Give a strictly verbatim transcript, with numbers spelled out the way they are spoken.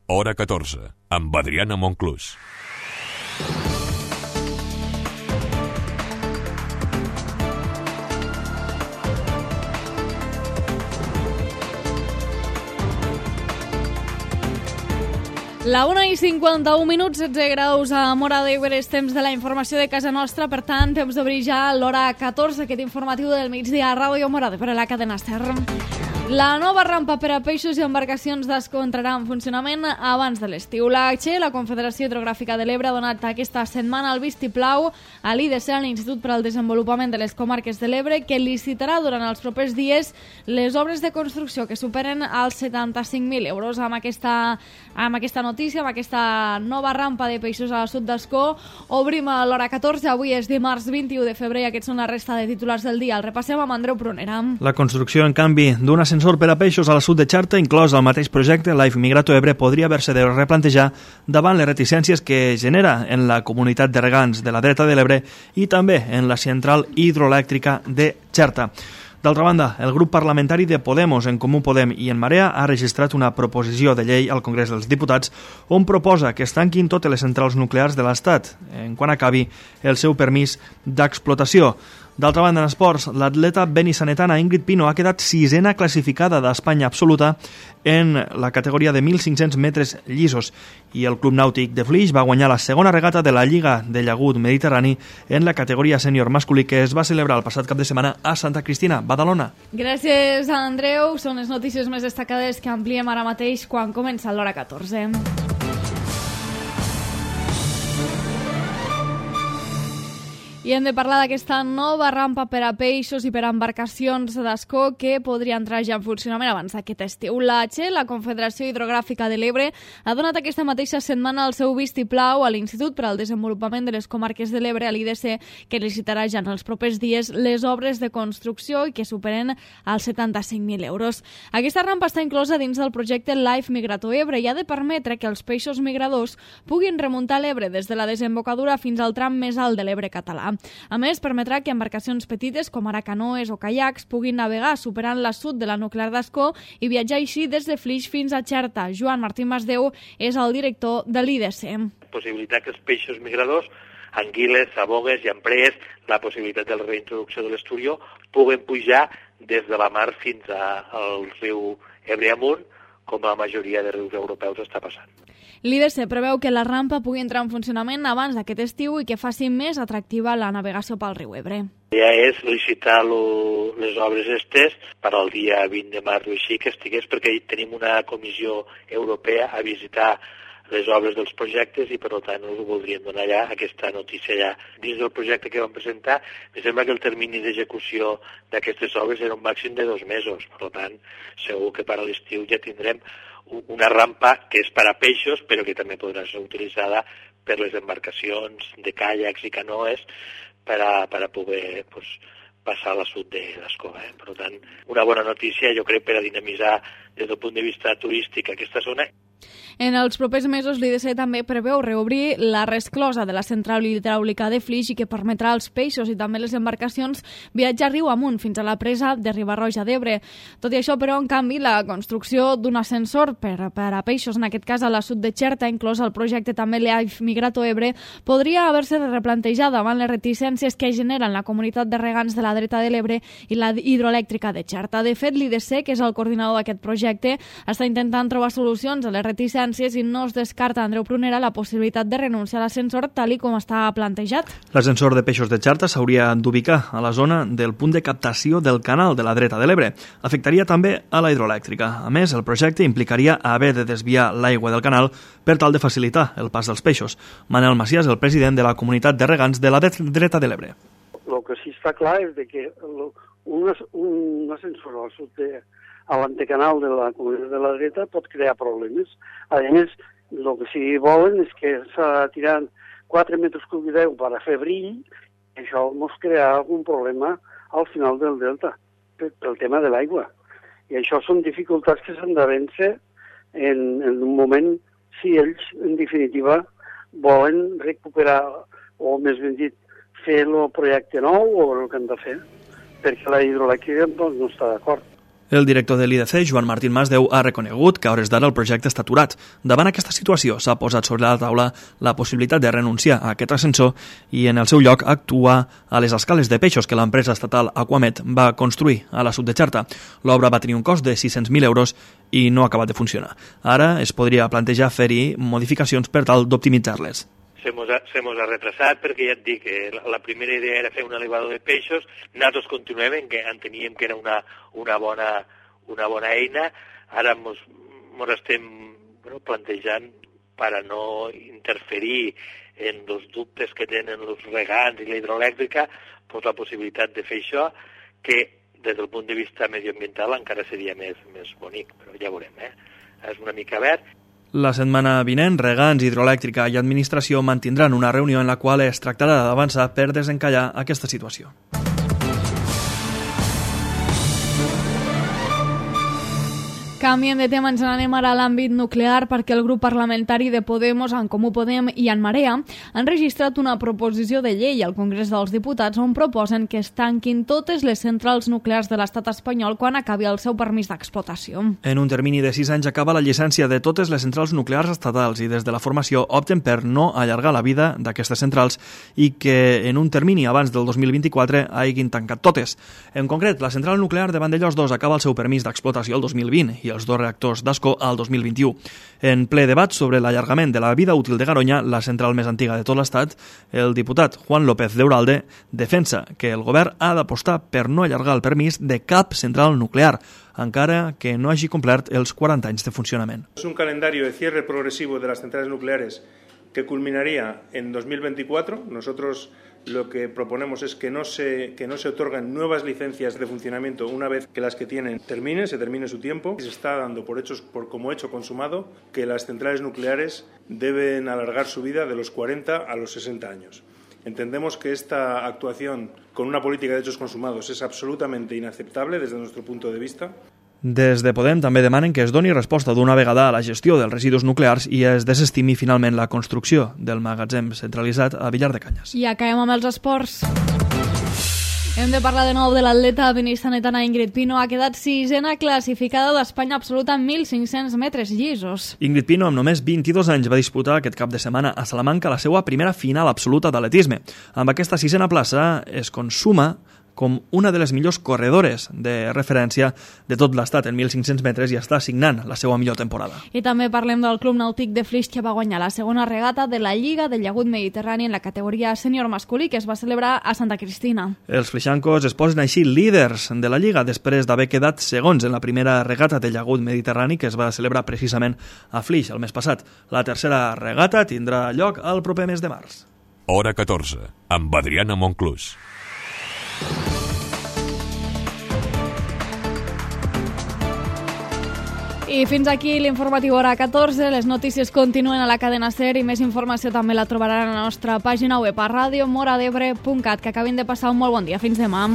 Hora catorze, amb Adriana Monclús. La una i cinquanta-un minuts, setze graus a Móra d'Ebre, és temps de la informació de casa nostra, per tant, temps d'obrir ja l'hora catorze, aquest informatiu del migdia a Ràdio Móra d'Ebre, la cadena Ser. La nova rampa per a peixos i embarcacions d'Ascó entrarà en funcionament abans de l'estiu. La Che, la Confederació Hidrogràfica de l'Ebre, ha donat aquesta setmana el vistiplau a l'I D C, a l'Institut per al Desenvolupament de les Comarques de l'Ebre, que licitarà durant els propers dies les obres de construcció que superen els setanta-cinc mil euros. Amb aquesta, amb aquesta notícia, amb aquesta nova rampa de peixos a la sud d'Ascó, obrim a l'hora catorze. Avui és dimarts vint-i-u de febrer i aquests són la resta de titulars del dia. El repassem amb Andreu Prunera. La construcció, en canvi, d'un ascensor per a peixos a la sud de Xerta, inclòs al mateix projecte Life Migrato Ebre, podria haver-se de replantejar davant les reticències que genera en la comunitat de regants de la dreta de l'Ebre i també en la central hidroelèctrica de Xerta. D'altra banda, el grup parlamentari de Podemos, En Comú Podem i En Marea ha registrat una proposició de llei al Congrés dels Diputats on proposa que es tanquin totes les centrals nuclears de l'Estat en quan acabi el seu permís d'explotació. D'altra banda, en esports, l'atleta benissanetana Ingrid Pino ha quedat sisena classificada d'Espanya absoluta en la categoria de mil cinc-cents metres llisos i el Club Nàutic de Flix va guanyar la segona regata de la Lliga de Llagut Mediterrani en la categoria sènior masculí que es va celebrar el passat cap de setmana a Santa Cristina, Badalona. Gràcies, Andreu. Són les notícies més destacades que ampliem ara mateix quan comença l'hora catorze. I hem de parlar d'aquesta nova rampa per a peixos i per a embarcacions d'Ascó que podria entrar ja en funcionament abans d'aquest estiu. La Che, la Confederació Hidrogràfica de l'Ebre, ha donat aquesta mateixa setmana el seu vistiplau a l'Institut per al Desenvolupament de les Comarques de l'Ebre, a l'I D C, que licitarà ja en els propers dies les obres de construcció i que superen els setanta-cinc mil euros. Aquesta rampa està inclosa dins del projecte Life Migrato Ebre i ha de permetre que els peixos migradors puguin remuntar l'Ebre des de la desembocadura fins al tram més alt de l'Ebre català. A més, permetrà que embarcacions petites, com ara canoes o caiacs, puguin navegar superant la sud de la nuclear d'Ascó i viatjar així des de Flix fins a Xerta. Joan Martí Masdeu és el director de l'I D C. Possibilitat que els peixos migradors, anguiles, sabogues i amprees, la possibilitat de la reintroducció de l'esturió, puguen pujar des de la mar fins al riu Ebre amunt, com la majoria de rius europeus està passant. L'I D C preveu que la rampa pugui entrar en funcionament abans d'aquest estiu i que faci més atractiva la navegació pel riu Ebre. Ja és licitar lo, les obres estes per al dia vint de març o així que estigués, perquè tenim una comissió europea a visitar les obres dels projectes i per tant us ho voldríem donar ja aquesta notícia ja. Dins del projecte que vam presentar, em sembla que el termini d'execució d'aquestes obres era un màxim de dos mesos, per tant segur que per a l'estiu ja tindrem una rampa que és per a peixos però que també podrà ser utilitzada per les embarcacions de caiacs i canoes per a, per a poder pues, passar a la sud de l'Ascó. Eh? Per tant, una bona notícia, jo crec, per a dinamitzar des del punt de vista turístic aquesta zona. En els propers mesos, l'I D C també preveu reobrir la resclosa de la central hidràulica de Flix i que permetrà als peixos i també les embarcacions viatjar riu amunt fins a la presa de Riba-roja d'Ebre. Tot i això, però, en canvi, la construcció d'un ascensor per, per a peixos, en aquest cas a la sud de Xerta, inclòs el projecte també Life Migrato Ebre, podria haver-se de replantejar davant les reticències que generen la comunitat de regants de la dreta de l'Ebre i la hidroelèctrica de Xerta. De fet, l'I D C, que és el coordinador d'aquest projecte, està intentant trobar solucions a les reticències i no es descarta, Andreu Prunera, la possibilitat de renunciar a l'ascensor tal i com està plantejat. L'ascensor de peixos de Xerta s'hauria d'ubicar a la zona del punt de captació del canal de la dreta de l'Ebre. Afectaria també a la hidroelèctrica. A més, el projecte implicaria haver de desviar l'aigua del canal per tal de facilitar el pas dels peixos. Manel Macias, el president de la comunitat de regants de la dreta de l'Ebre. El que sí està clar és que un, un ascensor al sud de a l'antecanal de la comunitat de la dreta pot crear problemes. A més, el que sí volen és que s'ha tirat quatre metres cúbics d'aigua per a fer brill i això ens crea algun problema al final del delta pel tema de l'aigua. I això són dificultats que s'han de vèncer en, en un moment si ells, en definitiva, volen recuperar, o més ben dit, fer el projecte nou o el que han de fer, perquè la hidroelèctrica doncs, no està d'acord. El director de l'I D C, Joan Martín Masdeu, ha reconegut que a hores d'ara el projecte està aturat. Davant aquesta situació s'ha posat sobre la taula la possibilitat de renunciar a aquest ascensor i en el seu lloc actuar a les escales de peixos que l'empresa estatal Aquamet va construir a la sud de Xarta. L'obra va tenir un cost de sis-cents mil euros i no ha acabat de funcionar. Ara es podria plantejar fer-hi modificacions per tal d'optimitzar-les. Se mos ha, se mos ha retrasat perquè ja et dic que la, la primera idea era fer un elevador de peixos, nosaltres continuem que enteníem que era una, una, bona, una bona eina, ara mos, mos estem bueno, plantejant per a no interferir en els dubtes que tenen els regants i la hidroelèctrica, pues la possibilitat de fer això, que des del punt de vista medioambiental encara seria més, més bonic, però ja veurem, eh? És una mica verd. La setmana vinent, Regants, Hidroelèctrica i Administració mantindran una reunió en la qual es tractarà d'avançar per desencallar aquesta situació. Canviem de tema, ens n'anem ara a l'àmbit nuclear perquè el grup parlamentari de Podemos, En Comú Podem i En Marea han registrat una proposició de llei al Congrés dels Diputats on proposen que es tanquin totes les centrals nuclears de l'estat espanyol quan acabi el seu permís d'explotació. En un termini de sis anys acaba la llicència de totes les centrals nuclears estatals i des de la formació opten per no allargar la vida d'aquestes centrals i que en un termini abans del dos mil vint-i-quatre hagin tancat totes. En concret, la central nuclear de Vandellòs dos acaba el seu permís d'explotació el dos mil vint i els dos reactors d'Ascó al dos mil vint-i-u. En ple debat sobre l'allargament de la vida útil de Garoña, la central més antiga de tot l'Estat, el diputat Juan López de Uralde defensa que el govern ha d'apostar per no allargar el permís de cap central nuclear, encara que no hagi complert els quaranta anys de funcionament. Es un calendario de cierre progresivo de las centrales nucleares que culminaría en dos mil veinticuatro. Nosotros lo que proponemos es que no se, que no se otorgan nuevas licencias de funcionamiento una vez que las que tienen terminen, se termine su tiempo. Se está dando por hechos, por, como hecho consumado que las centrales nucleares deben alargar su vida de los cuarenta a los sesenta años. Entendemos que esta actuación con una política de hechos consumados es absolutamente inaceptable desde nuestro punto de vista. Des de Podem també demanen que es doni resposta d'una vegada a la gestió dels residus nuclears i es desestimi finalment la construcció del magatzem centralitzat a Villar de Canyes. I acabem amb els esports. Hem de parlar de nou de l'atleta benissanetana Ingrid Pino. Ha quedat sisena classificada d'Espanya absoluta en mil cinc-cents metres llisos. Ingrid Pino, amb només vint-i-dos anys, va disputar aquest cap de setmana a Salamanca la seva primera final absoluta d'atletisme. Amb aquesta sisena plaça es consuma com una de les millors corredores de referència de tot l'estat en mil cinc-cents metres i està signant la seva millor temporada. I també parlem del Club Nàutic de Flix, que va guanyar la segona regata de la Lliga del Llagut Mediterrani en la categoria sènior masculí, que es va celebrar a Santa Cristina. Els flixancos es posen així líders de la Lliga després d'haver quedat segons en la primera regata del Llagut Mediterrani que es va celebrar precisament a Flix el mes passat. La tercera regata tindrà lloc el proper mes de març. Hora catorze, amb Adriana Monclús. I fins aquí l'informatiu Hora catorze. Les notícies continuen a la cadena SER i més informació també la trobaran a la nostra pàgina web a radio mora d'ebre punt cat. Que acabin de passar un molt bon dia. Fins demà.